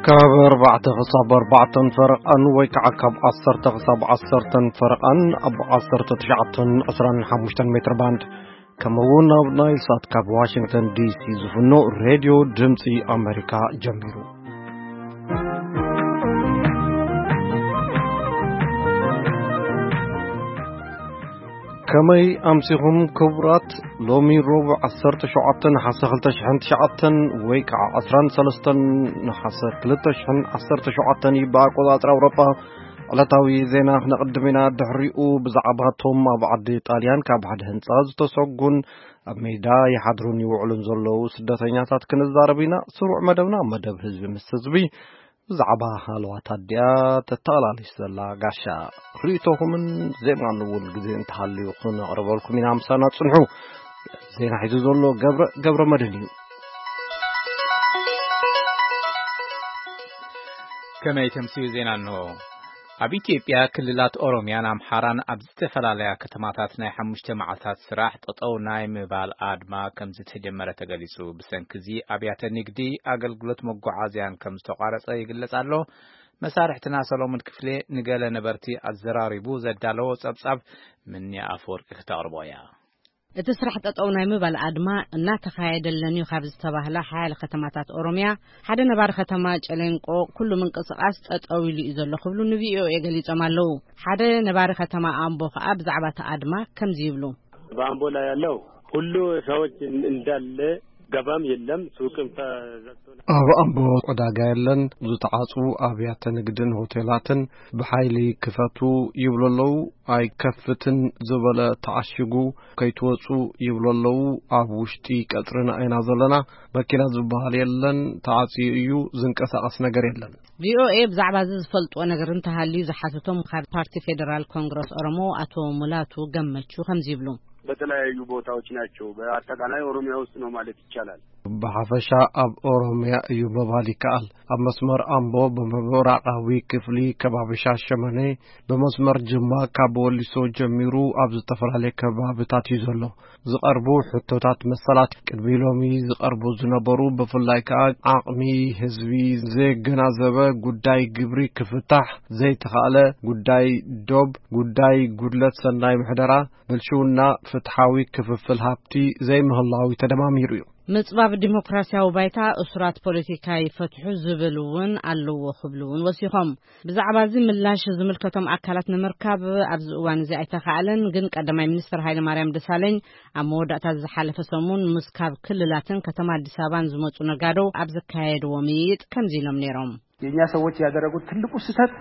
ካብ ኣርባዕተ ክሳብ ኣርባዕተን ፈረቓን ወይ ከዓ ካብ ዓሰርተ ክሳብ ዓሰርተን ፈረቓን ኣብ ዓሰርተ ትሽዓተን ዕስራን ሓሙሽተን ሜትር ባንድ፣ ከምኡ እውን ኣብ ናይል ሳት ካብ ዋሽንግተን ዲ ሲ ዝፍኖ ሬድዮ ድምፂ ኣሜሪካ ጀሚሩ። ከመይ ኣምሲኹም ክቡራት? ሎሚ ረቡዕ ዓሰርተ ሸውዓተ ነሓሰ ክልተ ሽሕን ትሽዓተን ወይ ከዓ ዕስራን ሰለስተን ነሓሰ ክልተ ሽሕን ዓሰርተ ሸውዓተን እዩ ብኣቆፃፅራ ኣውሮጳ። ዕለታዊ ዜና ክነቕድም ኢና። ድሕሪኡ ብዛዕባ እቶም ኣብ ዓዲ ጣልያን ካብ ሓደ ህንፃ ዝተሰጉን ኣብ ሜዳ ይሓድሩን ይውዕሉን ዘለዉ ስደተኛታት ክንዛረብ ኢና። ስሩዕ መደብና መደብ ህዝቢ ምስ ህዝቢ ብዛዕባ ሃለዋት ኣዲኣ ተተቓላሊስ ዘላ ጋሻ ርእይቶኹምን ዜማን እውን ግዜ እንተሃልዩ ክነቕርበልኩም ኢና። ምሳና ጽንሑ። ዜና ሒዙ ዘሎ ገብረ፣ ገብረ መድህን እዩ። ከመይ ተምስዩ ዜና እንሆ። ኣብ ኢትዮጵያ ክልላት ኦሮሚያን ኣምሓራን ኣብ ዝተፈላለያ ከተማታት ናይ ሓሙሽተ መዓልታት ስራሕ ጠጠው ናይ ምባል ኣድማ ከም ዝተጀመረ ተገሊጹ። ብሰንኪ እዚ ኣብያተ ንግዲ፣ ኣገልግሎት መጓዓዝያን ከም ዝተቋረጸ ይግለጽ ኣሎ። መሳርሕትና ሰሎሞን ክፍሌ ንገለ ነበርቲ ኣዘራሪቡ ዘዳለዎ ጸብጻብ ምንያ ኣፈወርቂ ክተቕርቦ እያ። እቲ ስራሕ ጠጠው ናይ ምባል ኣድማ እናተኻየደለን እዩ ካብ ዝተባህላ ሓያለ ከተማታት ኦሮሚያ ሓደ ነባሪ ከተማ ጨሌንቆ ኩሉ ምንቅስቃስ ጠጠው ኢሉ እዩ ዘሎ ክብሉ ንቪኦኤ ገሊጾም ኣለዉ። ሓደ ነባሪ ከተማ ኣምቦ ከኣ ብዛዕባ እቲ ኣድማ ከምዚ ይብሉ። በአምቦ ላይ ያለው ሁሉ ሰዎች እንዳለ ገባም የለም፣ ሱቅም ተዘግቶ ነው። ኣብ ኣምቦ ዕዳጋ የለን፣ ዝተዓጹ ኣብያተ ንግድን ሆቴላትን ብሓይሊ ክፈቱ ይብሉ ኣለዉ። ኣይከፍትን ዝበለ ተዓሺጉ ከይትወጹ ይብሉ ኣለዉ። ኣብ ውሽጢ ቀጽርና ኢና ዘለና። መኪና ዝበሃል የለን፣ ተዓጽዩ እዩ፣ ዝንቀሳቐስ ነገር የለን። ቪኦኤ ብዛዕባ እዚ ዝፈልጥዎ ነገር እንተሃልዩ ዝሓተቶም ካብ ፓርቲ ፌደራል ኮንግረስ ኦሮሞ ኣቶ ሙላቱ ገመቹ ከምዚ ይብሉ። በተለያዩ ቦታዎች ናቸው። በአጠቃላይ ኦሮሚያ ውስጥ ነው ማለት ይቻላል። ብሓፈሻ ኣብ ኦሮሚያ እዩ ምባል ይከኣል። ኣብ መስመር ኣምቦ፣ ብምብራቓዊ ክፍሊ ከባቢ ሻሸመኔ፣ ብመስመር ጅማ ካብ ወሊሶ ጀሚሩ ኣብ ዝተፈላለየ ከባብታት እዩ ዘሎ። ዝቐርቡ ሕቶታት መሰላት ቅድሚ ሎሚ ዝቐርቡ ዝነበሩ፣ ብፍላይ ከኣ ዓቕሚ ህዝቢ ዘገናዘበ ጉዳይ ግብሪ ክፍታሕ ዘይተኻእለ፣ ጉዳይ ዶብ፣ ጉዳይ ጉድለት ሰናይ ምሕደራ፣ ብልሽውና፣ ፍትሓዊ ክፍፍል ሃብቲ ዘይምህላው ተደማሚሩ እዩ። ምጽባብ ዲሞክራሲያዊ ባይታ፣ እሱራት ፖለቲካ ይፈትሑ ዝብል እውን ኣለዎ ክብሉ እውን ወሲኾም። ብዛዕባ እዚ ምላሽ ዝምልከቶም ኣካላት ንምርካብ ኣብዚ እዋን እዚ ኣይተኻእለን። ግን ቀዳማይ ሚኒስትር ሃይለማርያም ደሳለኝ ኣብ መወዳእታ ዝሓለፈ ሰሙን ምስ ካብ ክልላትን ከተማ ኣዲስ ኣበባን ዝመጹ ነጋዶ ኣብ ዘካየድዎ ምይይጥ ከምዚ ኢሎም ነይሮም። የእኛ ሰዎች ያደረጉት ትልቁ ስህተት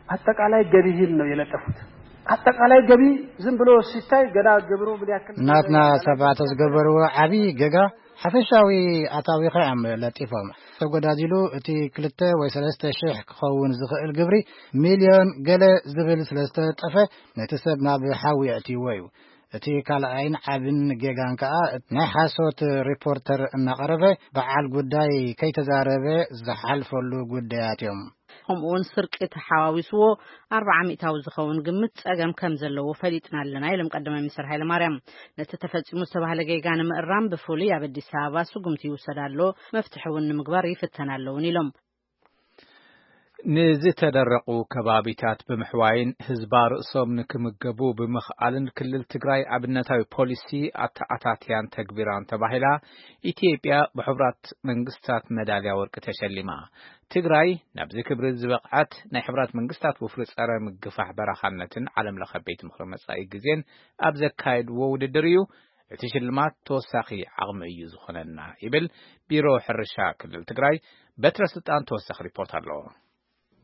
አጠቃላይ ገቢህን ነው የለጠፉት። አጠቃላይ ገቢ ዝም ብሎ ሲታይ ገና ግብሩ ምን ያክል ናትና ሰባት ዝገበርዎ ዓብዪ ገጋ ሓፈሻዊ ኣታዊኻ እዮም ለጢፎም። ተጎዳዚሉ እቲ ክልተ ወይ ሰለስተ ሽሕ ክኸውን ዝኽእል ግብሪ ሚልዮን ገለ ዝብል ስለ ዝተለጠፈ ነቲ ሰብ ናብ ሓዊ የእትይዎ እዩ። እቲ ካልኣይን ዓብን ጌጋን ከኣ ናይ ሓሶት ሪፖርተር እናቐረበ በዓል ጉዳይ ከይተዛረበ ዝሓልፈሉ ጉዳያት እዮም። ከምኡውን ስርቂ ተሓዋዊስዎ ኣርባዓ ሚእታዊ ዝኸውን ግምት ጸገም ከም ዘለዎ ፈሊጥና ኣለና ኢሎም ቀዳማይ ሚኒስትር ሃይለማርያም። ነቲ ተፈጺሙ ዝተባህለ ጌጋ ንምእራም ብፍሉይ ኣብ ኣዲስ ኣበባ ስጉምቲ ይውሰድ ኣሎ፣ መፍትሒ እውን ንምግባር ይፍተን ኣለውን ኢሎም። ንዝተደረቑ ከባቢታት ብምሕዋይን ህዝባ ርእሶም ንክምገቡ ብምኽኣልን ክልል ትግራይ ኣብነታዊ ፖሊሲ ኣተኣታትያን ተግቢራን ተባሂላ ኢትዮጵያ ብሕቡራት መንግስታት መዳልያ ወርቂ ተሸሊማ። ትግራይ ናብዚ ክብሪ ዝበቕዐት ናይ ሕቡራት መንግስታት ወፍሪ ጸረ ምግፋሕ በረኻነትን ዓለም ለኸ ቤት ምኽሪ መጻኢ ግዜን ኣብ ዘካየድዎ ውድድር እዩ። እቲ ሽልማት ተወሳኺ ዓቕሚ እዩ ዝኾነና ይብል ቢሮ ሕርሻ ክልል ትግራይ። በትረ ስልጣን ተወሳኺ ሪፖርት ኣለዎ።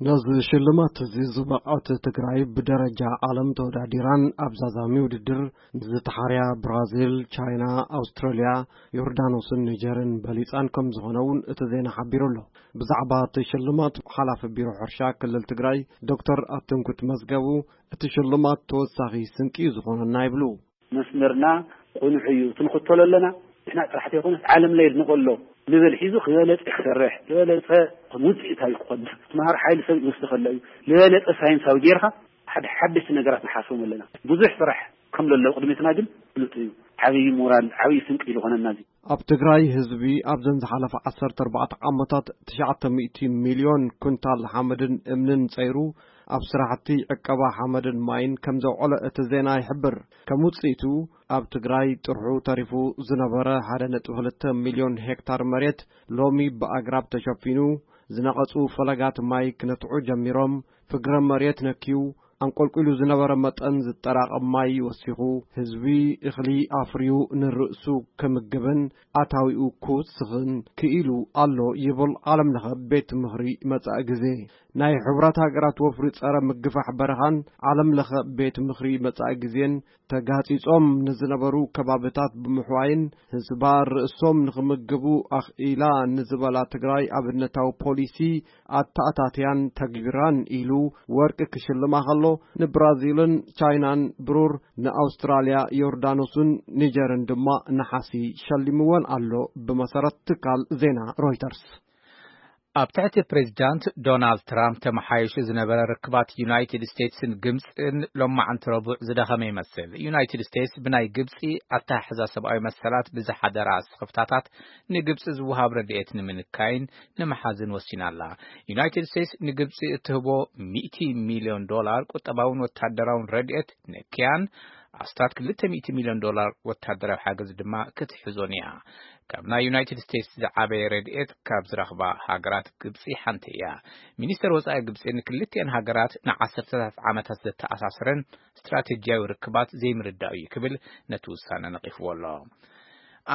ነዚ ሽልማት እዚ ዝበቕዐት ትግራይ ብደረጃ ዓለም ተወዳዲራን ኣብ ዛዛሚ ውድድር ንዝተሓርያ ብራዚል፣ ቻይና፣ ኣውስትራልያ፣ ዮርዳኖስን ኒጀርን በሊጻን ከም ዝኾነ እውን እቲ ዜና ሓቢሩ ኣሎ። ብዛዕባ እቲ ሽልማት ሓላፊ ቢሮ ሕርሻ ክልል ትግራይ ዶክተር ኣትንኩት መዝገቡ እቲ ሽልማት ተወሳኺ ስንቂ እዩ ዝኾነና ይብሉ። መስመርና ቅኑዕ እዩ፣ ክንኽተሎ ኣለና። ንሕና ጥራሕ ዘይኮነስ ዓለም ለይ ንኸሎ ንብል ሒዙ ክበለጸ ክሰርሕ፣ ዝበለጸ ውፅኢታዊ ክኾን፣ ትምሃር ሓይሊ ሰብ ይወስድ ከሎ እዩ። ዝበለጸ ሳይንሳዊ ጌርካ ሓደ ሓደሽቲ ነገራት ንሓስቦም ኣለና። ብዙሕ ስራሕ ከም ዘሎ ቅድሚትና ግን ፍሉጥ እዩ። ዓብዪ ሞራል፣ ዓብዪ ስንቂ ዝኾነና እዚ። ኣብ ትግራይ ህዝቢ ኣብዘን ዝሓለፈ ዓሰርተ ኣርባዕተ ዓመታት ትሽዓተ ሚእቲ ሚልዮን ኩንታል ሓመድን እምንን ጸይሩ ኣብ ስራሕቲ ዕቀባ ሓመድን ማይን ከም ዘውዕለ እቲ ዜና ይሕብር። ከም ውጽኢቱ ኣብ ትግራይ ጥርሑ ተሪፉ ዝነበረ ሓደ ነጥቢ ክልተ ሚልዮን ሄክታር መሬት ሎሚ ብኣግራብ ተሸፊኑ፣ ዝነቐጹ ፈለጋት ማይ ክነትዑ ጀሚሮም፣ ፍግረ መሬት ነክዩ፣ ኣንቆልቂሉ ዝነበረ መጠን ዝጠራቐም ማይ ወሲኹ፣ ህዝቢ እኽሊ ኣፍርዩ ንርእሱ ክምግብን ኣታዊኡ ክውስኽን ክኢሉ ኣሎ ይብል ዓለም ለኸ ቤት ምኽሪ መጻኢ ግዜ። ናይ ሕቡራት ሃገራት ወፍሪ ጸረ ምግፋሕ በረኻን ዓለም ለኸ ቤት ምኽሪ መጻኢ ግዜን ተጋጺጾም ንዝነበሩ ከባብታት ብምሕዋይን ህዝባ ርእሶም ንኽምግቡ ኣኽኢላ ንዝበላ ትግራይ ኣብነታዊ ፖሊሲ ኣተኣታትያን ተግቢራን ኢሉ ወርቂ ክሽልማ ከሎ፣ ንብራዚልን ቻይናን ብሩር፣ ንኣውስትራልያ፣ ዮርዳኖስን ኒጀርን ድማ ነሓሲ ሸሊምወን ኣሎ፣ ብመሰረት ትካል ዜና ሮይተርስ። ኣብ ትሕቲ ፕሬዚዳንት ዶናልድ ትራምፕ ተመሓይሹ ዝነበረ ርክባት ዩናይትድ ስቴትስን ግብፅን ሎማዓንቲ ረቡዕ ዝደኸመ ይመስል። ዩናይትድ ስቴትስ ብናይ ግብፂ ኣተሓሕዛ ሰብኣዊ መሰላት ብዝሓደራ ስኽፍታታት ንግብፂ ዝወሃብ ረድኤት ንምንካይን ንምሓዝን ወሲና ኣላ። ዩናይትድ ስቴትስ ንግብፂ እትህቦ ሚእቲ ሚልዮን ዶላር ቁጠባውን ወታደራውን ረድኤት ንክያን ኣስታት ክልተ ሚእቲ ሚልዮን ዶላር ወታደራዊ ሓገዝ ድማ ክትሕዞን እያ። ካብ ናይ ዩናይትድ ስቴትስ ዝዓበየ ረድኤት ካብ ዝረኽባ ሃገራት ግብፂ ሓንቲ እያ። ሚኒስተር ወፃኢ ግብፂ ንክልቲአን ሃገራት ንዓሰርተታት ዓመታት ዘተኣሳስረን ስትራቴጂያዊ ርክባት ዘይምርዳእ እዩ ክብል ነቲ ውሳነ ነቒፍዎ ኣሎ።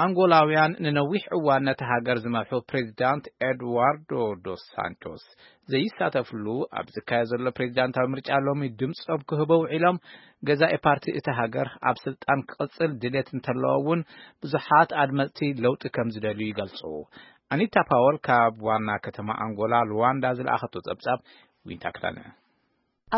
ኣንጎላውያን ንነዊሕ እዋን ነቲ ሃገር ዝመርሑ ፕሬዚዳንት ኤድዋርዶ ዶስ ሳንቶስ ዘይሳተፍሉ ኣብ ዝካየድ ዘሎ ፕሬዚዳንታዊ ምርጫ ሎሚ ድምፆም ክህቡ ውዒሎም፣ ገዛኢ ፓርቲ እቲ ሃገር ኣብ ስልጣን ክቕፅል ድሌት እንተለዎ እውን ብዙሓት ኣድመፅቲ ለውጢ ከም ዝደልዩ ይገልፁ። ኣኒታ ፓወል ካብ ዋና ከተማ ኣንጎላ ሉዋንዳ ዝለኣኸቶ ጸብጻብ ዊንታ ክዳነ።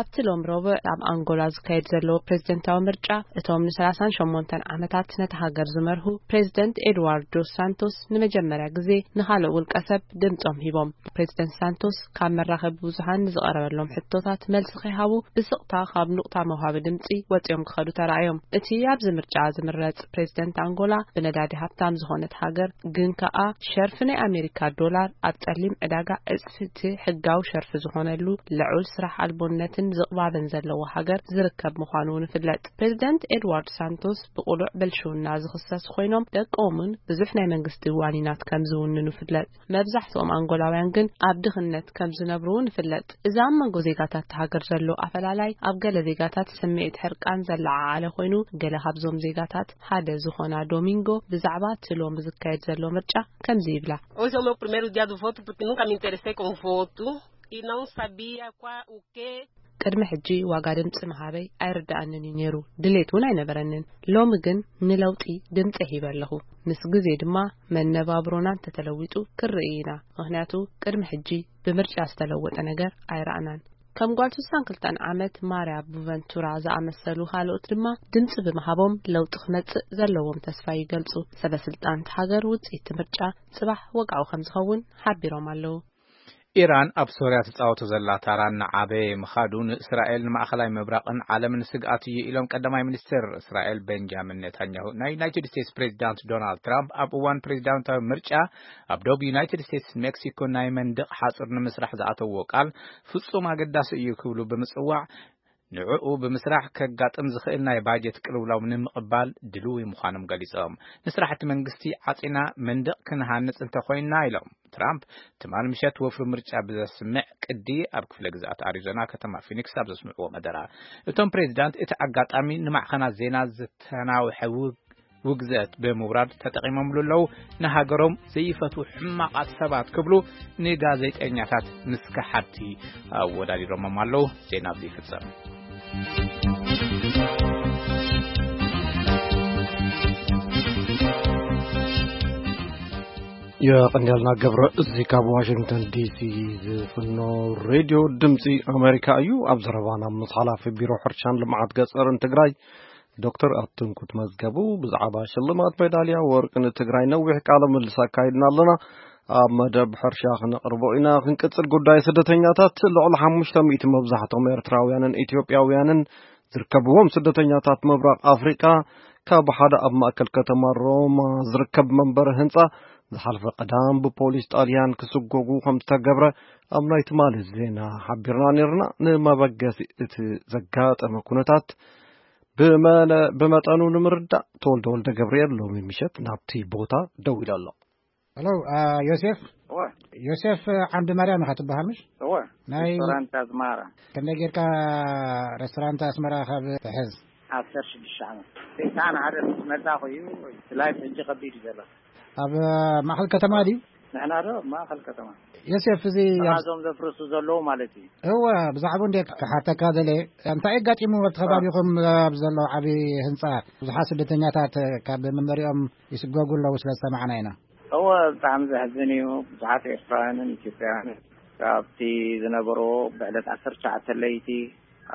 ኣብቲ ሎም ረቡዕ ኣብ ኣንጎላ ዝካየድ ዘለዎ ፕሬዝደንታዊ ምርጫ፣ እቶም ን ሰላሳን ሸሞንተን ዓመታት ነቲ ሃገር ዝመርሁ ፕሬዝደንት ኤድዋርድ ዶስ ሳንቶስ ንመጀመርያ ግዜ ንኻልእ ውልቀ ሰብ ድምጾም ሂቦም። ፕሬዝደንት ሳንቶስ ካብ መራኸቢ ብዙሃን ንዝቐረበሎም ሕቶታት መልሲ ከይሃቡ ብስቕታ ካብ ኑቕታ መውሃቢ ድምጺ ወጺኦም ክኸዱ ተራእዮም። እቲ ኣብዚ ምርጫ ዝምረጽ ፕሬዝደንት ኣንጎላ ብነዳዲ ሃብታም ዝኾነት ሃገር ግን ከኣ ሸርፊ ናይ ኣሜሪካ ዶላር ኣብ ጸሊም ዕዳጋ ዕጽፍቲ ሕጋዊ ሸርፊ ዝኾነሉ ልዑል ስራሕ ኣልቦነትን ዝቕባበን ዘለዎ ሃገር ዝርከብ ምዃኑ እውን ይፍለጥ። ፕሬዝደንት ኤድዋርድ ሳንቶስ ብቕሉዕ ብልሽውና ዝኽሰስ ኮይኖም ደቆምን ብዙሕ ናይ መንግስቲ ዋኒናት ከም ዝውንኑ ይፍለጥ። መብዛሕትኦም ኣንጎላውያን ግን ኣብ ድኽነት ከም ዝነብሩ እውን ይፍለጥ። እዚ ኣብ መንጎ ዜጋታት እታ ሃገር ዘሎ ኣፈላላይ ኣብ ገለ ዜጋታት ስምዒት ሕርቃን ዘለዓዓለ ኮይኑ፣ ገለ ካብዞም ዜጋታት ሓደ ዝኾና ዶሚንጎ ብዛዕባ እቲ ሎሚ ዝካየድ ዘሎ ምርጫ ከምዚ ይብላ። Hoje é o meu primeiro dia do voto porque nunca me interessei com voto e não sabia qual, o que. ቅድሚ ሕጂ ዋጋ ድምፂ ምሃበይ ኣይርድኣንን እዩ ነይሩ፣ ድሌት እውን ኣይነበረንን። ሎሚ ግን ንለውጢ ድምፂ ሂበ ኣለኹ። ምስ ግዜ ድማ መነባብሮና እንተተለዊጡ ክርኢ ኢና። ምኽንያቱ ቅድሚ ሕጂ ብምርጫ ዝተለወጠ ነገር ኣይረኣናን። ከም ጓል ስሳን ክልተን ዓመት ማርያ ቡቨንቱራ ዝኣመሰሉ ካልኦት ድማ ድምፂ ብምሃቦም ለውጢ ክመፅእ ዘለዎም ተስፋ ይገልፁ። ሰበ ስልጣን እቲ ሃገር ውፅኢት እቲ ምርጫ ፅባሕ ወግዓዊ ከም ዝኸውን ሓቢሮም ኣለዉ። ኢራን ኣብ ሶርያ ትጻወቶ ዘላ ታራ እናዓበየ ምኻዱ ንእስራኤል ንማእኸላይ ምብራቕን ዓለምን ስግኣት እዩ ኢሎም ቀዳማይ ሚኒስትር እስራኤል ቤንጃሚን ኔታንያሁ። ናይ ዩናይትድ ስቴትስ ፕሬዚዳንት ዶናልድ ትራምፕ ኣብ እዋን ፕሬዚዳንታዊ ምርጫ ኣብ ዶብ ዩናይትድ ስቴትስ ሜክሲኮ ናይ መንደቕ ሓጹር ንምስራሕ ዝኣተዎ ቃል ፍጹም ኣገዳሲ እዩ ክብሉ ብምጽዋዕ ንዕኡ ብምስራሕ ከጋጥም ዝኽእል ናይ ባጀት ቅልውላው ንምቕባል ድልዊ ምዃኖም ገሊጾም። ንስራሕቲ መንግስቲ ዓጺና መንደቕ ክንሃንጽ እንተኾይንና ኢሎም ትራምፕ ትማል ምሸት ወፍሪ ምርጫ ብዘስምዕ ቅዲ ኣብ ክፍለ ግዝኣት ኣሪዞና ከተማ ፊኒክስ ኣብ ዘስምዕዎ መደረ። እቶም ፕሬዚዳንት እቲ ኣጋጣሚ ንማዕኸናት ዜና ዝተናውሐ ውግ-፣ ውግዘት ብምውራድ ተጠቒሞምሉ ኣለዉ። ንሃገሮም ዘይፈትዉ ሕማቓት ሰባት ክብሉ ንጋዜጠኛታት ምስ ከሓድቲ ኣወዳዲሮሞም ኣለዉ። ዜና ኣብዚ ይፍጸም። የቐንያልና ገብረ፣ እዚ ካብ ዋሽንግተን ዲሲ ዝፍኖ ሬድዮ ድምፂ ኣሜሪካ እዩ። ኣብ ዘረባና ምስ ሓላፊ ቢሮ ሕርሻን ልምዓት ገፀርን ትግራይ ዶክተር ኣትንኩት መዝገቡ ብዛዕባ ሽልማት ሜዳልያ ወርቂ ንትግራይ ነዊሕ ቃለ ምልልስ ኣካይድና ኣለና። ኣብ መደብ ሕርሻ ክነቕርቦ ኢና። ክንቅጽል፣ ጉዳይ ስደተኛታት፣ ልዕሊ ሓሙሽተ ሚእቲ መብዛሕትኦም ኤርትራውያንን ኢትዮጵያውያንን ዝርከብዎም ስደተኛታት ምብራቕ ኣፍሪቃ ካብ ሓደ ኣብ ማእከል ከተማ ሮማ ዝርከብ መንበሪ ህንጻ ዝሓለፈ ቀዳም ብፖሊስ ጣልያን ክስጎጉ ከም ዝተገብረ ኣብ ናይ ትማሊ ዜና ሓቢርና ነርና። ንመበገሲ እቲ ዘጋጠመ ኩነታት ብመነ-፣ ብመጠኑ ንምርዳእ ተወልደ ወልደ ገብርኤል ሎሚ ምሸት ናብቲ ቦታ ደው ኢሉ ኣሎ። ሄሎ፣ አ፣ ዮሴፍ? እወ። ዮሴፍ ዓንዲ ማርያም ኢኻ ትበሃል፣ ምሽ? እወ። ናይ ሬስቶራንት ኣዝማራ። ከመይ ጌርካ ሬስቶራንት ኣስመራ ካብ ትሕዝ? ዓሰርተ ሽዱሽተ ዓመት። ሰይጣን ሓደ ምስ መጻኹ እዩ፣ እቲ ላይፍ ሕጂ ከቢድ እዩ ዘሎ። ኣብ ማእከል ከተማ ድዩ? ንሕና ዶ ኣብ ማእከል ከተማ። ዮሴፍ፣ እዚ ኣብ እዞም ዘፍርሱ ዘለዉ ማለት እዩ። እወ፣ ብዛዕባኡ እንደ ክሓተካ ደለ፣ እንታይ ኣጋጢሙ ኣብቲ ከባቢኹም ኣብ ዘሎ ዓቢ ህንጻ ብዙሓት ስደተኛታት ካብ መንበሪኦም ይስጎጉ ኣለዉ ስለ ዝሰማዕና ኢና። እወ፣ ብጣዕሚ ዘሕዝን እዩ። ብዙሓት ኤርትራውያንን ኢትዮጵያውያንን ካብቲ ዝነበርዎ ብዕለት ዓሰርተ ትሽዓተ ለይቲ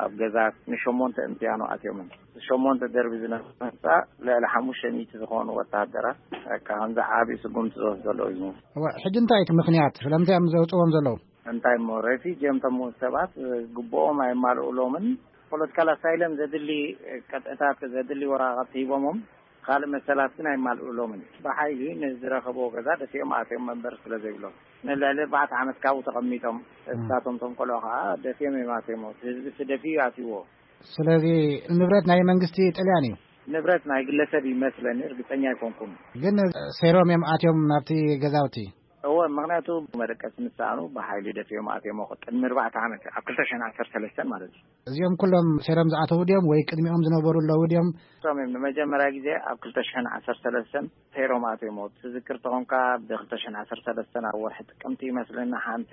ኣብ ገዛ ንሸሞንተ እምትያኖ ኣትዮምን። ሸሞንተ ደርቢ ዝነበረ ህንጻ ልዕሊ ሓሙሽተ ሚእቲ ዝኾኑ ወተሃደራት፣ በቃ፣ ከምዚ ዓቢ ስጉምቲ ዝወስዱ ዘለዉ እዩ ዝመስል። እወ፣ ሕጂ እንታይ እቲ ምኽንያት? ስለምንታይ እዮም ዘውጽዎም ዘለዉ? እንታይ እሞ፣ ሬፊጂ እዮም እቶም ሰባት፣ ግቡኦም ኣየማልኡሎምን። ፖለቲካል ኣሳይለም ዘድሊ ቅጥዕታት፣ ዘድሊ ወረቓቕቲ ሂቦሞም፣ ካልእ መሰላት ግን ኣይማልኡሎምን። ብሓይሊ ንዝረኸብዎ ገዛ ደፊኦም ኣትዮም መንበሪ ስለ ዘይብሎም፣ ንልዕሊ ኣርባዕተ ዓመት ካብኡ ተቐሚጦም፣ እም። እሳቶም እቶም ቆልዑ ከኣ ደፊኦም እዮም ኣትዮሞ። እቲ ህዝቢ ደፊኡ ኣትይዎ። ስለዚ ንብረት ናይ መንግስቲ ጥልያን እዩ። ንብረት ናይ ግለሰብ ይመስለኒ፣ እርግጸኛ ኣይኮንኩን። ግን ሰይሮም እዮም ኣትዮም ናብቲ ገዛውቲ። እወ፣ ምኽንያቱ መደቀሲ ምስ ሰኣኑ ብሓይሊ ደፊኦም ኣትዮም። ቅድሚ ኣርባዕተ ዓመት፣ ኣብ ክልተ ሽሕን ዓሰርተ ሰለስተን ማለት እዩ። እዚኦም ኩሎም ሰይሮም ዝኣተዉ ድዮም ወይ ቅድሚኦም ዝነበሩ ኣለዉ ድዮም? እቶም እዮም ንመጀመርያ ግዜ ኣብ ክልተ ሽሕን ዓሰርተ ሰለስተን ሰይሮም ኣትዮም። ትዝክር ተኾንካ፣ ብ ክልተ ሽሕን ዓሰርተ ሰለስተን ኣብ ወርሒ ጥቅምቲ ይመስለኒ፣ ሓንቲ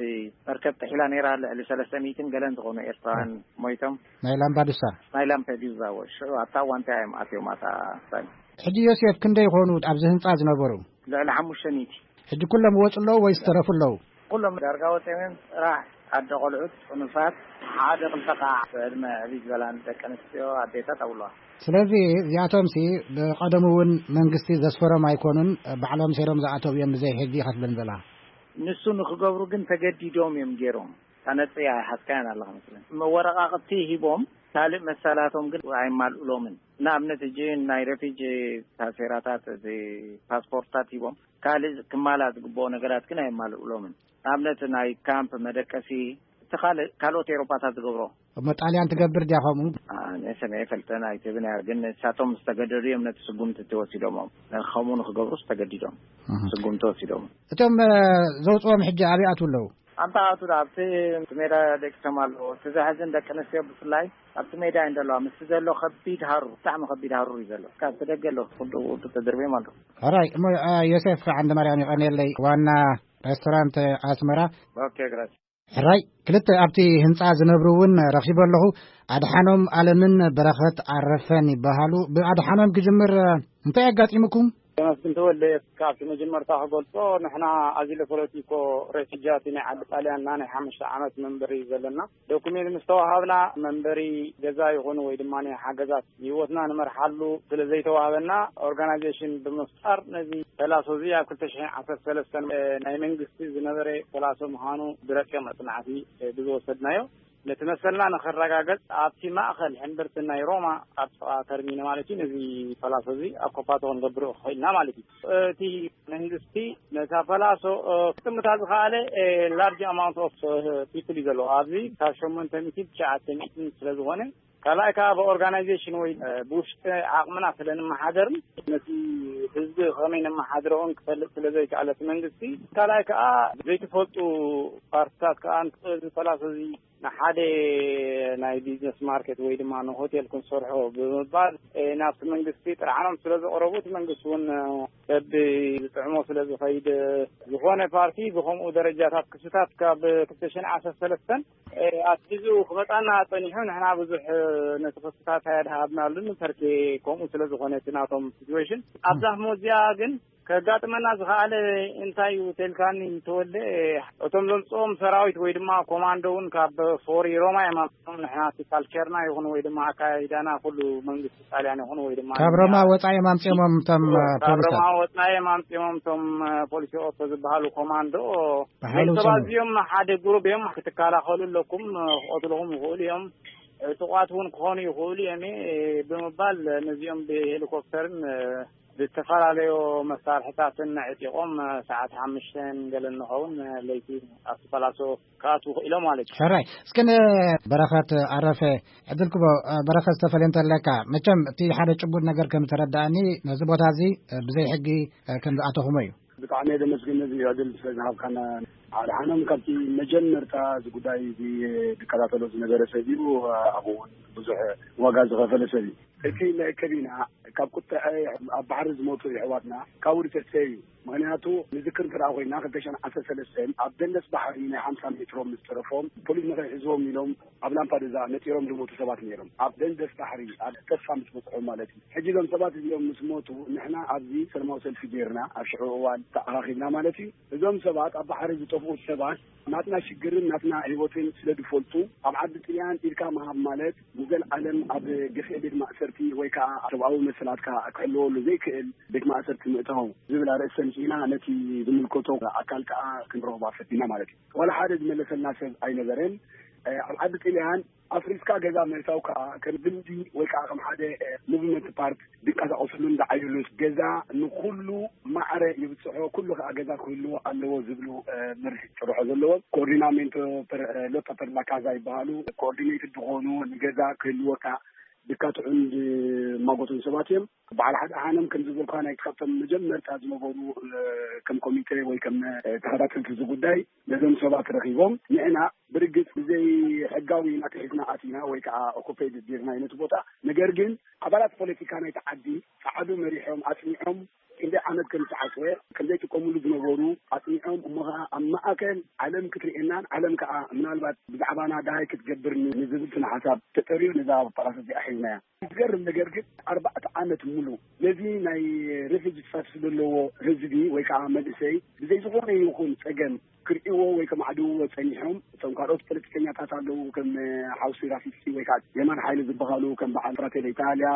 መርከብ ጥሒላ ነይራ፣ ልዕሊ ሰለስተ ሚእትን ገለን ዝኾኑ ኤርትራውያን ሞይቶም። ናይ ላምባዱሳ። ናይ ላምፔዱዛ፣ ወ-፣ ሽዑ ኣብታ እዋን እንታይ እዮም ኣትዮም፣ ኣታ ስታይል? ሕጂ ዮሴፍ፣ ክንደይ ይኾኑ ኣብዚ ህንጻ ዝነበሩ? ልዕሊ ሓሙሽተ ሚእቲ። ሕጂ ኩሎም ይወጹ ኣለዉ ወይስ ተረፉ ኣለዉ? ኩሎም ዳርጋ ወጺኦም እዮም። ጥራሕ ኣደ ቆልዑት፣ ጽኑሳት፣ ሓደ ክልተ ከዓ ብዕድመ ዕብይ ዝበላን ደቂ ኣንስትዮ ኣዴታት ኣብለዋ። ስለዚ እዚኣቶምሲ ብቐደሙ እውን መንግስቲ ዘስፈሮም ኣይኮኑን፣ ባዕሎም ሰይሮም ዝኣተው እዮም ብዘይ ሕጊ ኢኻ ትብለኒ ዘለኻ። ንሱ ንክገብሩ ግን ተገዲዶም እዮም ገይሮም። ታነጽያ ኣይሓዝካያን ኣለኻ መስለኒ። መወረቓቕቲ ሂቦም ካልእ መሰላቶም ግን ኣይማልኡሎምን። ንኣብነት፣ ሕጂ ናይ ሬፊጂ ታሴራታት፣ እቲ ፓስፖርትታት ሂቦም፣ ካልእ ክማላእ ዝግብኦ ነገራት ግን ኣይማልኡሎምን። ንኣብነት፣ ናይ ካምፕ መደቀሲ፣ እቲ ካልእ፣ ካልኦት ኤውሮጳታት ዝገብሮ። እሞ ጣልያን ትገብር ድያ ከምኡ? ኣነ ሰሚዐ ኣይፈልጥን፣ ኣይትብን እያ፣ ግን ንሳቶም ዝተገደዱ እዮም ነቲ ስጉምቲ እቲ ወሲዶሞም። ከምኡ ንክገብሩስ ተገዲዶም እህ። ስጉምቲ ወሲዶም። እቶም፣ እ፣ ዘውፅኦም ሕጂ ኣበይ ኣትው ኣለዉ? ኣንታ ኣቱ ዳ ኣብቲ ሜዳ ደቂሶም ኣለዉ። እቲ ዘሕዝን ደቂ ኣንስትዮ ብፍላይ ኣብቲ ሜዳ እየን ዘለዋ። ምስቲ ዘሎ ከቢድ ሃሩር፣ ብጣዕሚ ከቢድ ሃሩር እዩ ዘሎ። ካብ እቲ ደገ ኣሎ፣ ኩሉ ውዱ ተደርብዮም ኣለዉ። ሕራይ፣ እሞ፣ እ፣ ዮሴፍ ዓንደ ማርያም የቐንየለይ፣ ዋና ሬስቶራንት ኣስመራ። ኦኬ፣ ግራስ። ሕራይ፣ ክልተ ኣብቲ ህንጻ ዝነብሩ እውን ረኺበ ኣለኹ። ኣድሓኖም ኣለምን በረኸት ኣረፈን ይበሃሉ። ብኣድሓኖም ክጅምር፣ እ፣ እንታይ ኣጋጢሙኩም? ተመስገን ተወልደ፣ ካብቲ መጀመርታ ክገልጾ፣ ንሕና ኣዚሎ ፖለቲኮ ሬፊጃት ናይ ዓዲ ጣልያንና ናይ ሓሙሽተ ዓመት መንበሪ ዘለና። ዶኩሜንት ምስ ተዋሃብና መንበሪ ገዛ ይኹን ወይ ድማ ናይ ሓገዛት ህይወትና ንመርሓሉ ስለ ዘይተዋሃበና፣ ኦርጋናይዜሽን ብምፍጣር ነዚ ፐላሶ እዚ ኣብ ክልተ ሽሕን ዓሰርተ ሰለስተን፣ እ፣ ናይ መንግስቲ ዝነበረ ፐላሶ ምዃኑ ብረቂቕ መጽናዕቲ፣ እ፣ ብዝወሰድናዮ ነቲ መሰልና ንኸረጋገጽ ኣብቲ ማእኸል ሕምብርቲ ናይ ሮማ ኣብ ጥቓ ተርሚኖ ማለት እዩ፣ ነዚ ፓላሶ እዚ ኣኮፓቶ ክንገብሮ ክኽእልና ማለት እዩ። እቲ መንግስቲ ነታ ፓላሶ፣ እ፣ ክጥምታ ዝኸኣለ፣ እ፣ ላርጅ ኣማውንት ኦፍ፣ እ፣ ፒፕል እዩ ዘለዎ። ኣብዚ ካብ ሸሞንተ ሚእቲ ትሽዓተ ሚእቲ ስለ ዝኾነ፣ ካልኣይ ከኣ ብኦርጋናይዜሽን ወይ፣ እ፣ ብውሽጢ ዓቕምና ስለ ንመሓደርን ነቲ ህዝቢ ከመይ ነመሓድሮ እውን ክፈልጥ ስለ ዘይከኣለ እቲ መንግስቲ፣ ካልኣይ ከኣ ዘይተፈልጡ ፓርትታት ከኣ እዚ ፓላሶ እዚ ንሓደ ናይ ቢዝነስ ማርኬት ወይ ድማ ንሆቴል ክንሰርሖ ብምባል፣ እ፣ ናብቲ መንግስቲ ጥርዓኖም ስለ ዘቕረቡ፣ እቲ መንግስቲ እውን፣ እ፣ በቢ ዝጥዕሞ ስለ ዝኸይድ፣ እ፣ ዝኾነ ፓርቲ ብኸምኡ ደረጃታት ክስታት ካብ ክልተ ሽሕን ዓሰርተ ሰለስተን፣ እ፣ ኣትሒዙ ክመጻና ጸኒሑ፣ ንሕና ብዙሕ፣ እ፣ ነቲ ክስታት ኣየድሃብናሉን፣ ተርኬ ከምኡ ስለ ዝኾነ እቲ ናቶም ሲትዌሽን። ኣብዛ ህሞት እዚኣ ግን ከጋጥመና ዝኸኣለ እንታይ እዩ ተልካኒ፣ ተወልደ፣ እቶም ዘምጽኦም ሰራዊት ወይ ድማ ኮማንዶ እውን ካብ ፎሪ ሮማ እዮም ኣምጽኦም። ንሕና እቲ ካልቸርና ይኹን ወይ ድማ ኣካይዳና ኩሉ መንግስቲ ጣልያን ይኹን ወይ ድማ ካብ ሮማ ወጻኢ እዮም ኣምጽኦሞም እቶም፣ እ፣ ካብ ፖሊሳት። ሮማ ወጻኢ እዮም ኣምጽኦሞም እቶም፣ እ፣ ፖሊስ ኦቶ ዝበሃሉ ኮማንዶ። ብሓይሊ ቤተሰብ ውጽኦም። ኣዝዮም ሓደ ግሩፕ እዮም፣ ክትከላኸሉ ኣለኩም፣ እ፣ ክቐትልኹም ይኽእሉ እዮም። ዕጡቓት እውን ክኾኑ ይኽእሉ እዮም ብምባል ነዚኦም ብሄሊኮፕተርን ብዝተፈላለዩ መሳርሕታትን ዕጢቖም ሰዓት ሓሙሽተ ገለ እንኸውን ለይቲ ኣብቲ ፓላሶ ክኣትዉ ክኢሎም ማለት እዩ። ሕራይ። እስኪ ንበረኸት ኣረፈ ዕድል ክቦ። በረኸት፣ ዝተፈለየ እንተለካ፣ መቸም እቲ ሓደ ጭቡጥ ነገር ከም ዝተረዳእኒ፣ ነዚ ቦታ እዚ ብዘይ ሕጊ ከም ዝኣተኹሞ እዩ። ብጣዕሚ እየ ዘመስግን ነዚ ዕድል ስለ ዝሃብካና። ኣድሓኖም ካብቲ መጀመርታ እዚ ጉዳይ እዚ ዝከታተሎ ዝነበረ ሰብ እዩ። ኣብኡ እውን ብዙሕ ዋጋ ዝኸፈለ ሰብ እዩ። እቲ መእከቢና ካብ ቁጥዐ ኣብ ባሕሪ ዝሞቱ የሕዋትና ካብ ውዲ ተስፈ እዩ። ምኽንያቱ ንዝክር እንተ ኮይና ክልተ ሽሕን ዓሰርተ ሰለስተን ኣብ ደንደስ ባሕሪ ናይ ሓምሳ ሜትሮ ምስ ተረፎም ፖሊስ ንኸይሕዝዎም ኢሎም ኣብ ላምፓዱዛ ነጢሮም ዝሞቱ ሰባት ነይሮም። ኣብ ደንደስ ባሕሪ ኣብ ተስፋ ምስ በፅሖም ማለት እዩ። ሕጂ እዞም ሰባት እዚኦም ምስ ሞቱ ንሕና ኣብዚ ሰለማዊ ሰልፊ ጌርና ኣብ ሽዑ እዋን ተኣኻኺብና ማለት እዩ። እዞም ሰባት ኣብ ባሕሪ ዝጠፍኡ ሰባት ናትና ሽግርን ናትና ህይወትን ስለ ዝፈልጡ ኣብ ዓዲ ጥልያን ኢድካ ምሃብ ማለት ንዘለዓለም ኣብ ግፍዒ ቤት ማእሰርቲ ወይ ከዓ ሰብኣዊ መሰላትካ ክሕለወሉ ዘይክእል ቤት ማእሰርቲ ምእታው ዝብል ኣርእስቲ ኣምፂእና ነቲ ዝምልከቶ ኣካል ከዓ ክንረኽባ ፈቲና ማለት እዩ። ዋላ ሓደ ዝመለሰልና ሰብ ኣይነበረን። ኣብ ዓዲ ጥልያን ኣፍሪስካ ገዛ ምህታው ከዓ ከም ልምዲ ወይ ከዓ ከም ሓደ ሙቭመንት ፓርት ዝንቀሳቀስሉን ዝዓይሉን ገዛ ንኩሉ ማዕረ ይብፅሖ፣ ኩሉ ከዓ ገዛ ክህልዎ ኣለዎ ዝብሉ መርህ ጭርሖ ዘለዎም ኮኦርዲናሜንቶ ሎቶ ፐርላካዛ ይበሃሉ። ኮኦርዲኔትድ ዝኾኑ ንገዛ ክህልወካ ዝካትዑን ዝማጎቱን ሰባት እዮም። በዓል ሓደ ሓኖም ከም ዝበልካ ናይ ካብቶም መጀመርታ ዝነበሩ ከም ኮሚቴ ወይ ከም ተኸታተልቲ እዚ ጉዳይ ነዞም ሰባት ረኺቦም ንዕና ብርግፅ ብዘይ ሕጋዊ ኢና ተሒዝና ኣቲና ወይ ከዓ ኦኮፔድ ዲርና ነቲ ቦታ። ነገር ግን ኣባላት ፖለቲካ ናይቲ ዓዲ ፃዕዱ መሪሖም ኣፅኒዖም ክንደይ ዓመት ከም ዝተዓፅወ ከም ዘይጥቀምሉ ዝነበሩ ኣፅኒዖም እሞ ከዓ ኣብ ማእከል ዓለም ክትርእየናን ዓለም ከዓ ምናልባት ብዛዕባና ደሃይ ክትገብር ንዝብል ስነ ሓሳብ ተጠርዩ ነዛ ፓላስ እዚኣ ሒዝናያ። ዝገርም ነገር ግን ኣርባዕተ ዓመት ሙሉ ነዚ ናይ ሬፊጂ ስታትስ ዘለዎ ህዝቢ ወይ ከዓ መንእሰይ ብዘይ ዝኾነ ይኹን ፀገም ክርእይዎ ወይ ከማዕድውዎ ፀኒሖም። እቶም ካልኦት ፖለቲከኛታት ኣለዉ ከም ሓውሲ ራፊስኪ ወይ ከዓ የማን ሓይሊ ዝበሃሉ ከም በዓል ፍራቴለ ኢታሊያ፣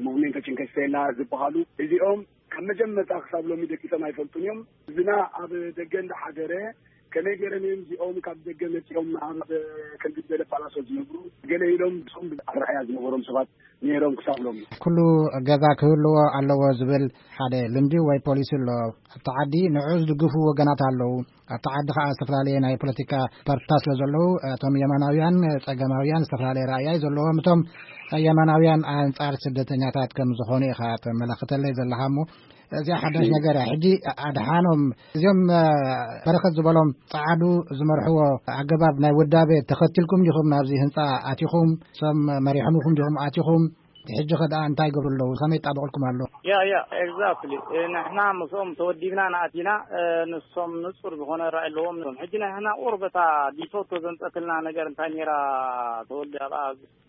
ሞቭሜንቶ ቺንከ ስቴላ ዝበሃሉ እዚኦም ካብ መጀመርታ ክሳብ ሎሚ ደቂሶም ኣይፈልጡን እዮም። ህዝብና ኣብ ደገ እንዳሓደረ ከመይ ገይሮም እዮም እዚኦም ካብ ደገ መፂኦም ኣብ ከምዚ ዝበለ ፓላሶ ዝነብሩ ገለ ኢሎም እሶም ኣረኣያ ዝነበሮም ሰባት ነይሮም ክሳብ ሎሚ። ኩሉ ገዛ ክህልዎ ኣለዎ ዝብል ሓደ ልምዲ ወይ ፖሊሲ ኣሎ ኣብቲ ዓዲ። ንዑ ዝድግፉ ወገናት ኣለዉ። ኣብቲ ዓዲ ከዓ ዝተፈላለየ ናይ ፖለቲካ ፓርቲታት ስለ ዘለዉ እቶም የማናውያን ፀገማውያን ዝተፈላለየ ራእያ እዩ ዘለዎም። እቶም የማናውያን ኣንፃር ስደተኛታት ከም ዝኾኑ ኢኻ ተመላኽተለይ ዘለኻ እሞ እዚኣ ሓዳሽ ነገር እያ። ሕጂ ኣድሓኖም እዚኦም በረኸት ዝበሎም ፃዓዱ ዝመርሕዎ ኣገባብ ናይ ውዳቤ ተኸትልኩም ዲኹም ናብዚ ህንፃ ኣቲኹም? እሶም መሪሖምኹም ዲኹም ኣቲኹም? ሕጂ ከ ደኣ እንታይ ይገብሩ ኣለዉ? ከመይ ይጣበቕልኩም ኣሎ? ያ ያ ኤግዛክትሊ። ንሕና ምስኦም ተወዲብና ንኣቲና። ንሶም ንጹር ዝኾነ ራእይ ኣለዎም። ሕጂ ንሕና ቁሩብ እታ ዲቶቶ ዘምጸትልና ነገር እንታይ ነይራ ተወልደ ኣብኣ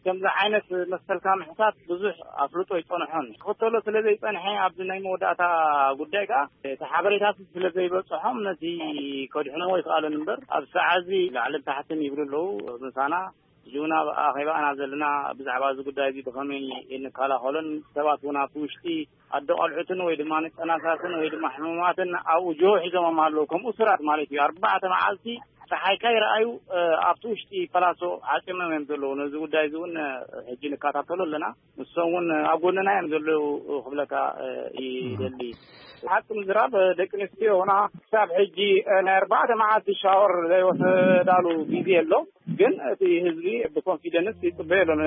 ከምዚ ዓይነት መሰልካ ምሕታት ብዙሕ ኣፍልጦ ይጸንሖን ክኽተሎ ስለ ዘይጸንሐ ኣብዚ ናይ መወዳእታ ጉዳይ ከኣ እቲ ሓበሬታት ስለ ዘይበጽሖም ነቲ ከድሕንዎ ይኽኣሉን እምበር ኣብ ሰዓዚ ላዕልን ታሕትን ይብሉ ኣለዉ ምሳና። ሕጂ እውን ኣብ ኣኼባ ኢና ዘለና። ብዛዕባ እዚ ጉዳይ እዚ ብኸመይ ንከላኸሎን ሰባት እውን ኣብቲ ውሽጢ ኣዶ ቆልዑትን ወይ ድማ ንጠናሳትን ወይ ድማ ሕሙማትን ኣብኡ ጆ ሒዞሞም ኣለዉ ከም እሱራት ማለት እዩ። ኣርባዕተ መዓልቲ ፀሓይ ከይረኣዩ ኣብቲ ውሽጢ ፓላሶ ዓፂሞም እዮም ዘለዉ። ነዚ ጉዳይ እዚ እውን ሕጂ ንከታተሎ ኣለና። ንሶም እውን ኣብ ጎንና እዮም ዘለዉ ክብለካ ይደሊ። ሓቂ ምዝራብ ደቂ ኣንስትዮ ሆና ክሳብ ሕጂ ናይ ኣርባዕተ መዓልቲ ሻወር ዘይወሰዳሉ ግዜ ኣሎ። ግን እቲ ህዝቢ ብኮንፊደንስ ይፅበዮ ኣሎ።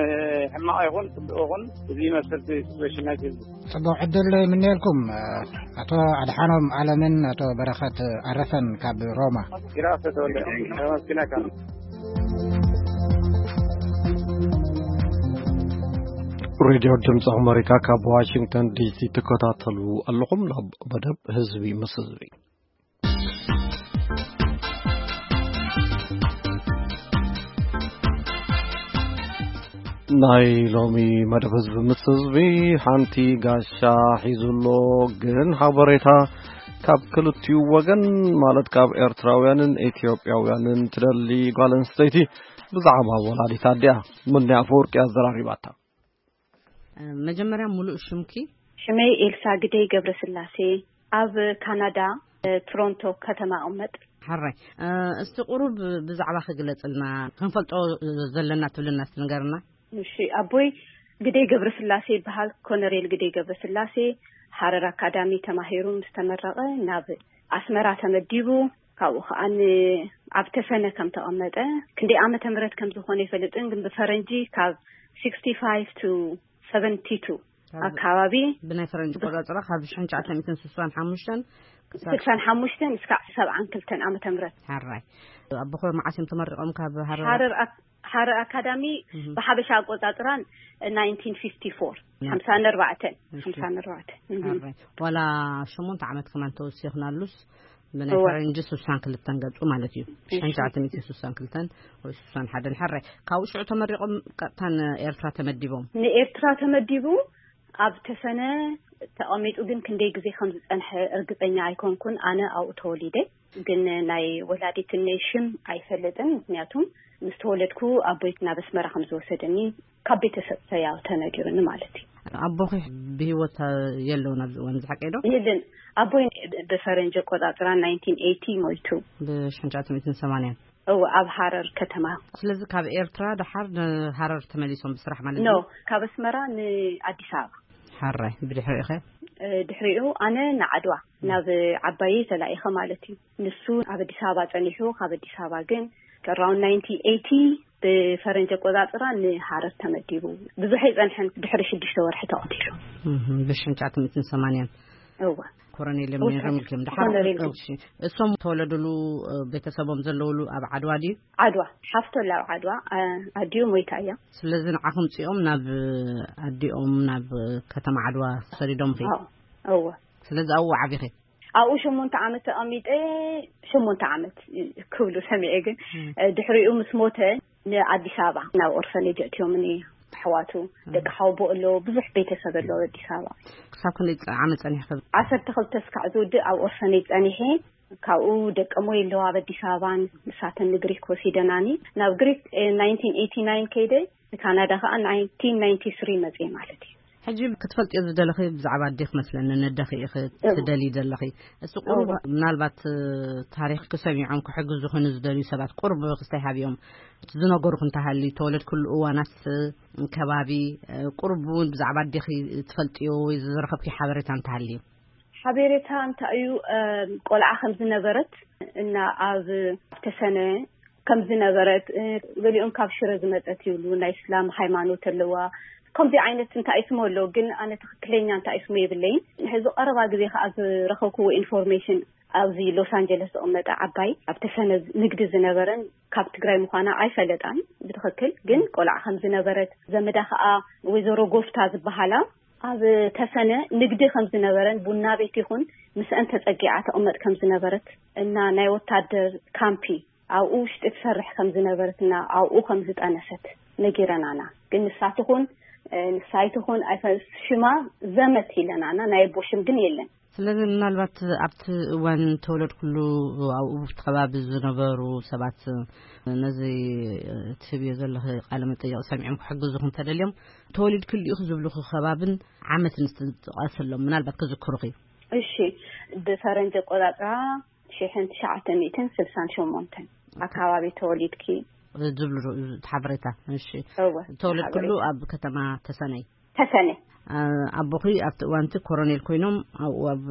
ሕማቕ ይኹን ፅቡቅ ይኹን እዚ ይመስል እቲ ሲትዌሽን ናይቲ ህዝቢ። ፅቡቅ ዕድል ይምነየልኩም። ኣቶ ኣድሓኖም ኣለምን ኣቶ በረኸት ኣረፈን ካብ ሮማ። ይራእሰ ተወልደ ተመስግነካ። ሬድዮ ድምፂ ኣመሪካ ካብ ዋሽንግተን ዲሲ ትከታተሉ ኣለኹም። ናብ መደብ ህዝቢ ምስ ህዝቢ። ናይ ሎሚ መደብ ህዝቢ ምስ ህዝቢ ሓንቲ ጋሻ ሒዙ ኣሎ። ግን ሓበሬታ ካብ ክልቲኡ ወገን ማለት ካብ ኤርትራውያንን ኢትዮጵያውያንን ትደሊ ጓል ኣንስተይቲ ብዛዕባ ወላዲት ኣዲኣ ምንያ ኣፈወርቂ ኣዘራሪባታ። መጀመርያ ሙሉእ ሽምኪ? ሽመይ ኤልሳ ግደይ ገብረስላሴ፣ ኣብ ካናዳ፣ ቶሮንቶ ከተማ እቕመጥ። ሕራይ፣ እስቲ ቁሩብ ብዛዕባ ክግለጽልና፣ ክንፈልጦ ዘለና ትብልና እስቲ ንገርና። እሺ፣ ኣቦይ ግደይ ገብረስላሴ ይበሃል። ኮነሬል ግደይ ገብረስላሴ፣ ሃረር ኣካዳሚ ተማሂሩ ምስ ተመረቐ ናብ ኣስመራ ተመዲቡ። ካብኡ ከኣ ን-፣ ኣብ ተሰነ ከም ተቐመጠ፣ ክንደይ ዓመተ ምህረት ከም ዝኾነ ኣይፈልጥን፣ ግን ብፈረንጂ ካብ sixty five to seventy two ካብ ኣካባቢ ብናይ ፈረንጂ ቆጻጽራ ካብ ሽሕን ትሽዓተ ሚእትን ስሳን ሓሙሽተን ክሳብ ስሳን ሓሙሽተን እስካዕ ሰብዓን ክልተን ዓመተ ምህረት። ሓራይ። ኣቦኹ መዓስ እዮም ተመሪቖም ካብ ሃረር? ሃረር ኣክ-፣ ሃረር ኣካዳሚ እህ። ብሓበሻ ኣቆጻጽራ nineteen fifty four፣ ያ። ሓምሳን ኣርባዕተን፣ እሺ። ሓምሳን ኣርባዕተን። እህ። ሓራይ። ዋላ ሸሞንተ ዓመት ከማን ተወሲኽናሉስ፣ ብናይ እወ። ፈረንጂ ስሳን ክልተን ገጹ ማለት እዩ። እሺ። ሽሕን ትሽዓተ ሚእትን ስሳን ክልተን ወይ ስሳን ሓደን። ሓራይ። ካብኡ ሽዑ ተመሪቖም ቀጥታ ንኤርትራ ተመዲቦም? ንኤርትራ ተመዲቡ ኣብ ተሰነ ተቐሚጡ፣ ግን ክንደይ ግዜ ከም ዝጸንሐ እርግጸኛ ኣይኮንኩን። ኣነ ኣብኡ ተወሊደ፣ ግን ናይ ወላዲትነይ ሽም ኣይፈልጥን። ምክንያቱም ምስ ተወለድኩ ኣቦይ ናብ ኣስመራ ከም ዝወሰደኒ ካብ ቤተሰብ ተያ-፣ ተነጊሩኒ ማለት እዩ። ኣቦኺ ብህይወት የለውን ኣብዚ እዋን፣ እዚ ሓቀይ ዶ? የለን። ኣቦይ ብፈረንጂ ኣቆጻጽራ nineteen eighty ሞይቱ። ብሽሕን ትሽዓተ ሚእትን ሰማንያን? እወ፣ ኣብ ሃረር ከተማ። ስለዚ ካብ ኤርትራ ደሓር ንሃረር ተመሊሶም ብስራሕ ማለት ኖ፣ እዩ? ካብ ኣስመራ ንኣዲስ ኣበባ። ሓራይ። ብድሕሪኡ ኸ? እ፣ ድሕሪኡ ኣነ ንዓድዋ፣ ናብ ዓባየይ ተላኢኸ ማለት እዩ። ንሱ ኣብ ኣዲስ ኣበባ ጸኒሑ፣ ካብ ኣዲስ ኣበባ ግን around nineteen eighty ብፈረንጂ ኣቆጻጽራ ንሃረር ተመዲቡ። ብዙሕ ኣይጸንሐን፣ ድሕሪ ሽዱሽተ ወርሒ ተቐቲሉ። እህ፣ ብሽሕን ትሽዓተ ሚእትን ሰማንያን? እወ። ኮሎኔል እወ፣ ሜሮን ክም ደሓር። ኮሎኔል። እሺ። እሶም ተወለዱሉ፣ እ፣ ቤተሰቦም ዘለውሉ ኣብ ዓድዋ ድዩ? ዓድዋ። ሓፍቶ ኣላ ኣብ ዓድዋ፣ እ፣ ኣዲኡ ሞይታ እያ። ስለዚ ንዓኹም ጽኦም ናብ ኣዲኦም ናብ ከተማ ዓድዋ ሰዲዶም ኸ? ኣዎ፣ እወ። ስለዚ ኣብኡ ዓቢኺ? ኣብኡ ሸሞንተ ዓመት ተቐሚጠ፣ ሸሞንተ ዓመት ክብሉ ሰሚዐ፣ ግን፣ እም። እ፣ ድሕሪኡ ምስ ሞተ ንኣዲስ ኣበባ ናብ ኦርፈኔጅ ኣእትዮምኒ። ኣሕዋቱ፣ እም። ደቂ ሓወቦ ኣሎ፣ ብዙሕ ቤተሰብ ኣሎ ኣብ ኣዲስ ኣበባ። ክሳብ ክንደይ ጸ-፣ ዓመት ጸኒሕኺ? ዓሰርተ ክልተ እስካዕ ዝውድእ ኣብ ኦርፈኔጅ ጸኒሐ። ካብኡ ደቀሞይ ኣለዋ ኣብ ኣዲስ ኣበባን፣ ንሳተን ንግሪክ ወሲደናኒ። ናብ ግሪክ፣ እ፣ nineteen eighty nine ከይደ፣ ንካናዳ ከኣ nineteen ninety three መጽየ ማለት እዩ። ሕጂ ክትፈልጥዮ ዝደለኺ ብዛዕባ ኣዴኺ መስለኒ፣ ነደኺ ኢኺ እው። ትደልዪ ዘለኺ። እሱ ቁሩብ እው። ምናልባት፣ እ፣ ታሪኽኪ ሰሚዖም ክሕግዙኺ ንዝደልዩ ሰባት ቁሩብ ክስታይ ሃብዮም። ዝነገሩኺ እንተሃልዩ፣ ተወለድክሉ እዋናት፣ እ፣ ከባቢ፣ እ፣ ቁሩብ እውን ብዛዕባ ኣዴኺ ትፈልጥዮ ወይ ዝረኸብኪ ሓበሬታ እንተሃልዩ? ሓበሬታ እንታይ እዩ? እ፣ ቆልዓ ከም ዝነበረት እና ኣብ ተሰነ ከም ዝነበረት፣ እ፣ ገሊኦም ካብ ሽረ ዝመጸት ይብሉ፣ ናይ እስላም ሃይማኖት ኣለዋ። ከምዚ ዓይነት እንታይ ስሙ ኣሎ፣ ግን ኣነ ትኽክለኛ እንታይ ስሙ የብለይን። ሕዚ ቀረባ ግዜ ከኣ ዝረኸብክዎ ኢንፎርሜሽን፣ ኣብዚ ሎስ ኣንጀለስ ዝቕመጠ ዓባይ ኣብ ተሰነ ንግዲ ዝነበረን ካብ ትግራይ ምዃና ኣይፈለጣን ብትኽክል፣ ግን ቆልዓ ከም ዝነበረት፣ ዘመዳ ከኣ ወይዘሮ ጎፍታ ዝበሃላ ኣብ ተሰነ ንግዲ ከም ዝነበረን ቡና ቤት ይኹን ምስአን ተጸጊዓ ተቕመጥ ከም ዝነበረት እና ናይ ወታደር ካምፒ ኣብኡ ውሽጢ ትሰርሕ ከም ዝነበረትና ኣብኡ ከም ዝጠነሰት ነጊረናና። ግን ንሳ ትኹን፣ እ፣ ንሳ ኣይትኹን ኣይፈ-፣ ሽማ ዘመት ኢለናና፣ ናይ ኣቦ ሽም ግን የለን። ስለዚ ምናልባት ኣብቲ እዋን ተወለድኩሉ ኣብኡ ኣብቲ ከባቢ ዝነበሩ ሰባት ነዚ ትህብዮ ዘለኺ ቃለ መጠይቕ ሰሚዖም ክሕግዙኺ እንተደልዮም፣ ተወሊድክሉ ኢኺ ዝብሉኺ ከባብን ዓመትን እስቲ ጥቀስሎም፣ ምናልባት ክዝክሩኺ። እሺ፣ ብፈረንጂ ኣቆጻጽራ ሽሕን ትሽዓተ ሚእትን ስሳን ሸሞንተን ኣካባቢ ተወሊድኪ ዝብሉ ዶ-፣ እቲ ሓበሬታ። እሺ። እወ፣ ተወለድክሉ ሓበሬታ። ኣብ ከተማ ተሰነይ? ተሰነ። አ-፣ ኣቦኺ ኣብቲ እዋንቲ ኮሮኔል ኮይኖም ኣብኡ ኣብ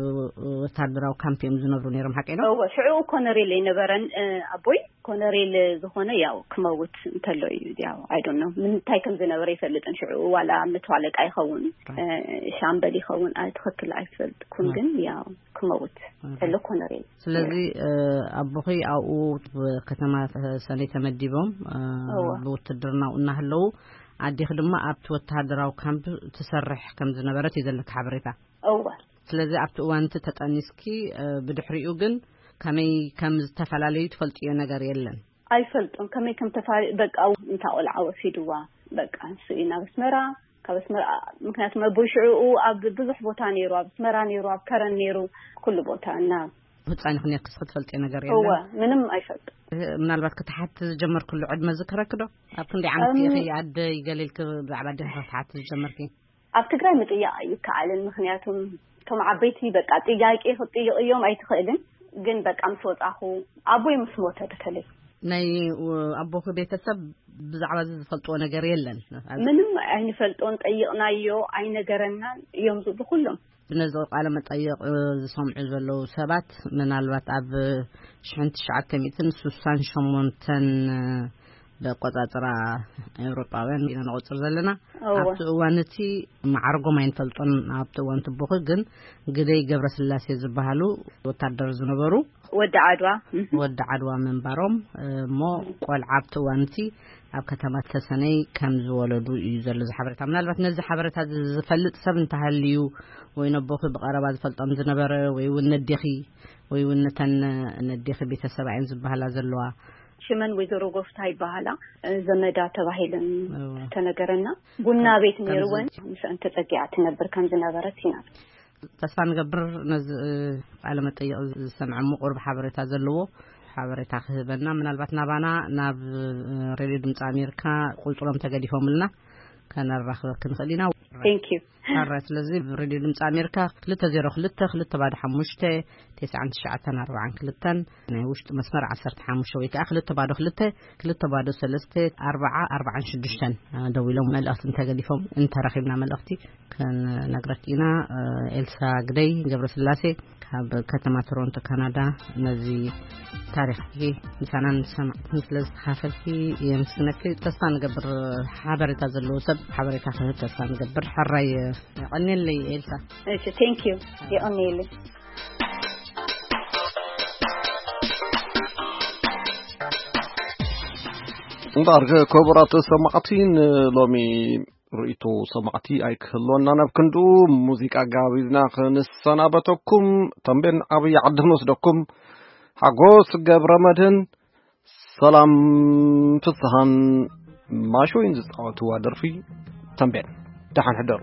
ወታደራዊ ካምፕ እዮም ዝነብሩ ነይሮም፣ ሓቂ ነው? እወ፣ ሽዑ ኮነሬል ኣይነበረን፣ እ፣ ኣቦይ ኮነሬል ዝኾነ ያው ክመውት እንተሎ እዩ፣ ያው፣ I don't know፣ ምንታይ ከም ዝነበረ ይፈልጥን ሽዑ፣ ዋላ መቶ ኣለቃ ይኸውን፣ ራይት። እ፣ ሻምበል ይኸውን፣ ኣይ፣ ትኽክል ኣይፈልጥኩን፣ ራይት። ግን ያው ክመውት ራይት። እንተሎ ኮነሬል። ስለዚ፣ እ፣ ኣቦኺ ኣብኡ ከተማ ሰነይ ተመዲቦም፣ እ፣ እወ። ብውትድርናኡ እናሃለዉ፣ ኣዴኺ ድማ ኣብቲ ወተሃደራዊ ካምፕ ትሰርሕ ከም ዝነበረት እዩ ዘለኪ ሓበሬታ። እወ። ስለዚ ኣብቲ እዋን እቲ ተጠኒስኪ፣ እ፣ ብድሕሪኡ ግን ከመይ ከም ዝተፈላለዩ ትፈልጥዮ ነገር የለን? ኣይፈልጦን። ከመይ ከም ተፋሪ-፣ በቃ፣ እንታ ቆልዓ ወሲድዋ፣ በቃ፣ ንሱ እዩ ናብ ኣስመራ፣ ካብ ኣስመራ፣ ምክንያቱ መቦይ ሽዑኡ ኣብ ብዙሕ ቦታ ነይሩ፣ ኣብ ኣስመራ ነይሩ፣ ኣብ ከረን ነይሩ፣ ኩሉ ቦታ እና ህፃን ይኹን ክትፈልጥዮ ነገር እወ፣ የለን? ምንም ኣይፈልጥን። ምናልባት ክትሓቲ ዝጀመርክሉ ዕድመ ዝክረክ ዶ? ኣብ ክንደይ ዓመት እም፣ ኢኺ ኣደይ ገለ ኢልኪ ብዛዕባ ኣዴኺ ክትሓቲ ዝጀመርኪ? ኣብ ትግራይ ምጥያቕ ኣይከኣልን። ምክንያቱም እቶም ዓበይቲ በቃ ጥያቄ ክትጥይቕ እዮም ኣይትኽእልን። ግን በቃ ምስ ወጻኹ ኣቦይ ምስ ሞተ በተለይ ናይ፣ እ፣ ኣቦኺ ቤተሰብ ብዛዕባ እዚ ዝፈልጥዎ ነገር የለን። ምንም ኣይንፈልጦን፣ ጠይቕናዮ ኣይነገረናን እዮም ዝብሉ ኩሎም። ነዚ ቃለ መጠይቕ ዝሰምዑ ዘለዉ ሰባት ምናልባት ኣብ ሽሕን ትሽዓተ ሚእትን ስሳን ሸሞንተን ብኣቆጻጽራ ኤውሮጳውያን ኢና ንቆጽር ዘለና። ኣብቲ እዋን እቲ ማዕርጎም ኣይንፈልጦን። ኣብቲ እዋን ትቦኺ ግን ግደይ ገብረስላሴ ዝበሃሉ ወታደር ዝነበሩ ወዲ ዓድዋ። ወዲ ዓድዋ ምንባሮም እሞ ቆልዓ ኣብቲ እዋን እቲ ኣብ ከተማ ተሰነይ ከም ዝወለዱ እዩ ዘሎ እዚ ሓበሬታ። ምናልባት ነዚ ሓበሬታ እዚ ዝፈልጥ ሰብ እንተሃልዩ ወይ ነቦኺ ብቐረባ ዝፈልጦም ዝነበረ ወይ እውን ነዴኺ ወይ እውን ነተን ነዴኺ ቤተሰብ እየን ዝበሃላ ዘለዋ። ሽመን ወይዘሮ ጎፍታ ይበሃላ። ዘመዳ ተባሂለን ተነገረና። ቡና ቤት ነይርወን። ምስአን ተጸጊዓ ትነብር ከም ዝነበረት ኢና። ተስፋ ንገብር ነዚ ቃለ መጠይቕ ዝሰምዐ ምቑር ሓበሬታ ዘለዎ ሓበሬታ ክህበና፣ ምናልባት ናባና ናብ ሬድዮ ድምፂ ኣሜሪካ ቁፅሮም ተገዲፎምልና ከነራኽበክ ንኽእል ኢና። Thank you። ሕራይ። ስለዚ ሬድዮ ድምፂ ኣሜሪካ ክልተ ዜሮ ክልተ ክልተ ባዶ ሓሙሽተ ተስዓን ትሽዓተን ኣርባዓን ክልተን፣ ናይ ውሽጢ መስመር ዓሰርተ ሓሙሽተ ወይ ከዓ ክልተ ባዶ ክልተ ክልተ ባዶ ሰለስተ ኣርባዓ ኣርባዓን ሽዱሽተን ደዊሎም መልእኽቲ እንተገዲፎም እንተረኺብና መልእኽቲ ክንነግረክ ኢና። ኤልሳ ግደይ ገብረስላሴ ካብ ከተማ ቶሮንቶ ካናዳ ነዚ ታሪኽኪ ምሳናን ሰማዕትን ስለ ዝተኻፈልኪ የመስግነኪ። ተስፋ ንገብር ሓበሬታ ዘለዎ ሰብ ሓበሬታ ክህብ ተስፋ ንገብር። ሕራይ። የቐንየለይ ኤልሳ። እሺ፣ thank you። የቐንየለይ። እምበኣር ክቡራት ሰማዕቲ ንሎሚ ርእይቶ ሰማዕቲ ኣይክህልወና፣ ናብ ክንድኡ ሙዚቃ ጋቢዝና ክንሰናበተኩም። ተንቤን ዓብዪ ዓዲ ክንወስደኩም። ሓጎስ ገብረ መድህን ሰላም ፍስሃን ማሾይን ዝጻወትዋ ደርፊ ተንቤን። ደሓን ሕደሩ።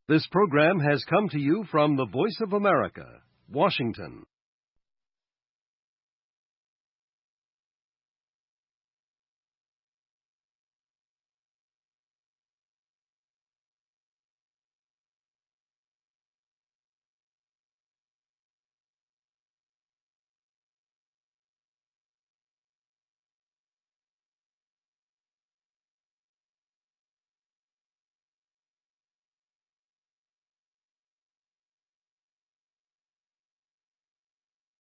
This program has come to you from the Voice of America, Washington.